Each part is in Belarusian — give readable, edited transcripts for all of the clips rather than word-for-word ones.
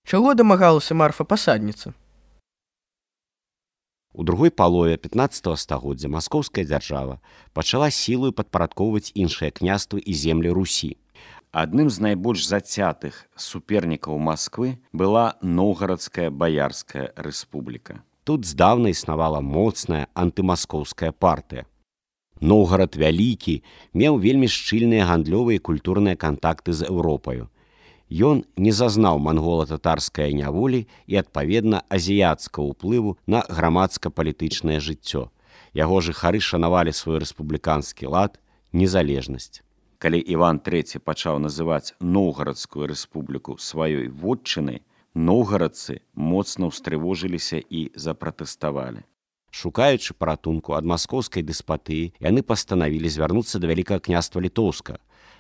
Чаго дамагалася Марфа-пасадніца? У другой палове 15 стагоддзя маскоўская дзяржава пачала сілаю падпарадкоўваць іншыя княствы і землі Русі. Адным з найбольш зацятых супернікаў Масквы была Новгарадская Баярская рэспубліка. Тут здаўна існавала моцная антымаскоўская партыя. Новгарад вялікі меў вельмі шчыльныя гандлёвыя і культурныя кантакты з Еўропаю. Ён не зазнаў мангола-татарскай няволі і, адпаведна, азіяцкага ўплыву на грамадска-палітычнае жыццё. Яго жыхары шанавалі свой рэспубліканскі лад, незалежнасць. Калі Іван III пачаў называць Новгарадскую рэспубліку сваёй вотчынай, новгарадцы моцна ўстрывожыліся і запратэставалі. Шукаючы паратунку ад маскоўскай дэспатыі, яны пастанавілі звярнуцца да Вялікага княства Літоўскага.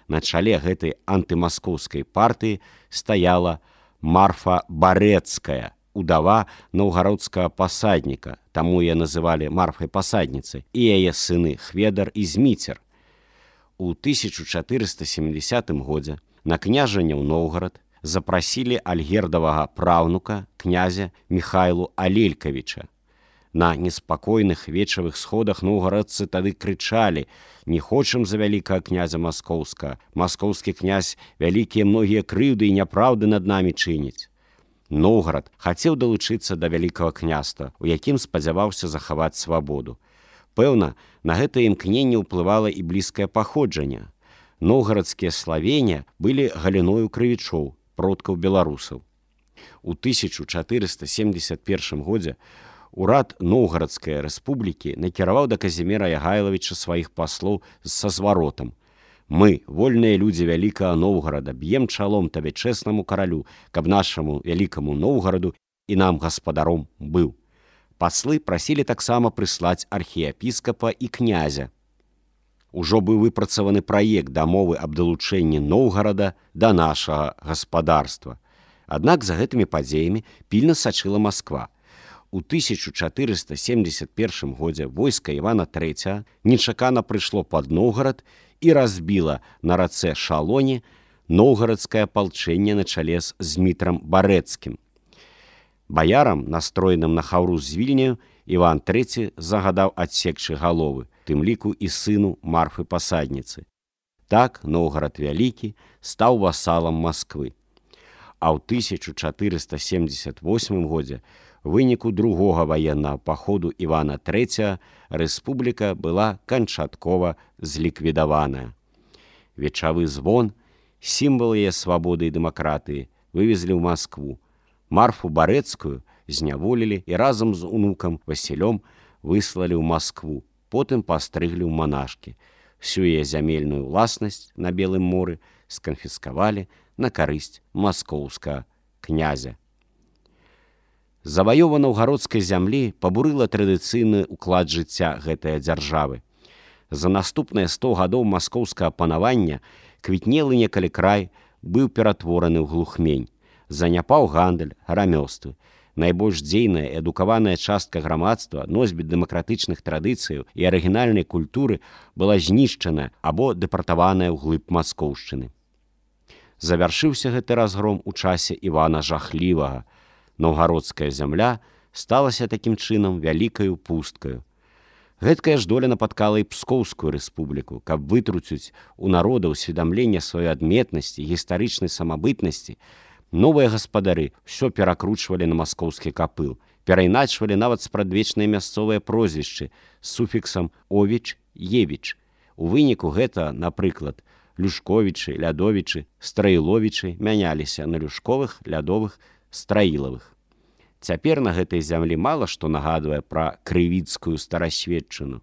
На чале гэтай антымаскоўскай партыі стаяла Марфа Барэцкая, удава наўгародскага пасадніка, таму яе называлі Марфай-пасадніцай, і яе сыны Хведар і Зміцер. У 1470 годзе на княжанне ў Новгарад запрасілі альгердавага праўнука князя Міхайлу Алелькавіча. На неспакойных вечавых сходах новгарадцы тады крычалі: «Не хочам за вялікага князя маскоўскага. Маскоўскі князь вялікія многія крыўды і няпраўды над намі чыніць». Новгарад хацеў далучыцца да вялікага княства, у якім спадзяваўся захаваць свабоду. Пэўна, на гэтае імкненне ўплывала і блізкае паходжанне. Новгарадскія славення былі галіною крывічоў, продкаў беларусаў. У 1471 годзе урад Новгарадскай рэспублікі накіраваў да Казіміра Ягайлавіча сваіх паслоў са зваротам: «Мы, вольныя людзі вялікага Новгарада, б'ем чалом табе чэснаму каралю, каб нашаму вялікаму Новгараду і нам гаспадаром быў». Паслы прасілі таксама прыслаць архіепіскапа і князя. Ужо быў выпрацаваны праект дамовы аб далучэнні Новгарада да нашага гаспадарства. Аднак за гэтымі падзеямі пільна сачыла Масква. У 1471 годзе войска Івана III нечакана прыйшло пад Новгарад і разбіла на рацэ Шалоне новгарадскае апалчэнне на чале з Змітрам Барэцкім. Баярам, настроеным на хаўру з Вільняю, Іван III загадаў адсекчы галовы, тым ліку і сыну Марфы-пасадніцы. Так Новгарад вялікі стаў васалам Масквы. А ў 1478 годзе у выніку другога ваеннага паходу Івана III рэспубліка была канчаткова зліквідаваная. Вечавы звон, сімвал яе свабоды і дэмакратыі, вывезлі ў Маскву. Марфу Барэцкую зняволілі і разам з унукам Васілём выслалі ў Маскву, потым пастрыглі ў манашкі. Всю яе зямельную ўласнасць на Белым моры сканфіскавалі на карысць маскоўскага князя. Заваёва наўгародскай зямлі пабурыла традыцыйны ўклад жыцця гэтае дзяржавы. За наступныя 100 гадоў маскоўскага панавання квітнелы некалі край быў ператвораны ў глухмень. Заняпаў гандаль, рамёствы. Найбольш дзейная і адукаваная частка грамадства, носьбіт дэмакратычных традыцыяў і арыгінальнай культуры была знішчана або дэпартаваная ўглыб маскоўшчыны. Завяршыўся гэты разгром у часе Івана Жахлівага. Наўгародская зямля сталася такім чынам вялікаю пусткаю. Гэткая ж доля напаткала і Пскоўскую рэспубліку, каб вытруціць у народа ўсведамленне сваёй адметнасці, гістарычнай самабытнасці. Новыя гаспадары ўсё перакручвалі на маскоўскі капыл, перайначвалі нават спрадвечныя мясцовыя прозвішчы з суфіксам «овіч», «евіч». У выніку гэта, напрыклад, Люшковічы, Лядовічы, Страіловічы мяняліся на Люшковых, Лядовых, Страілавых. Цяпер на гэтай зямлі мала што нагадвае пра крывіцкую старасветчыну.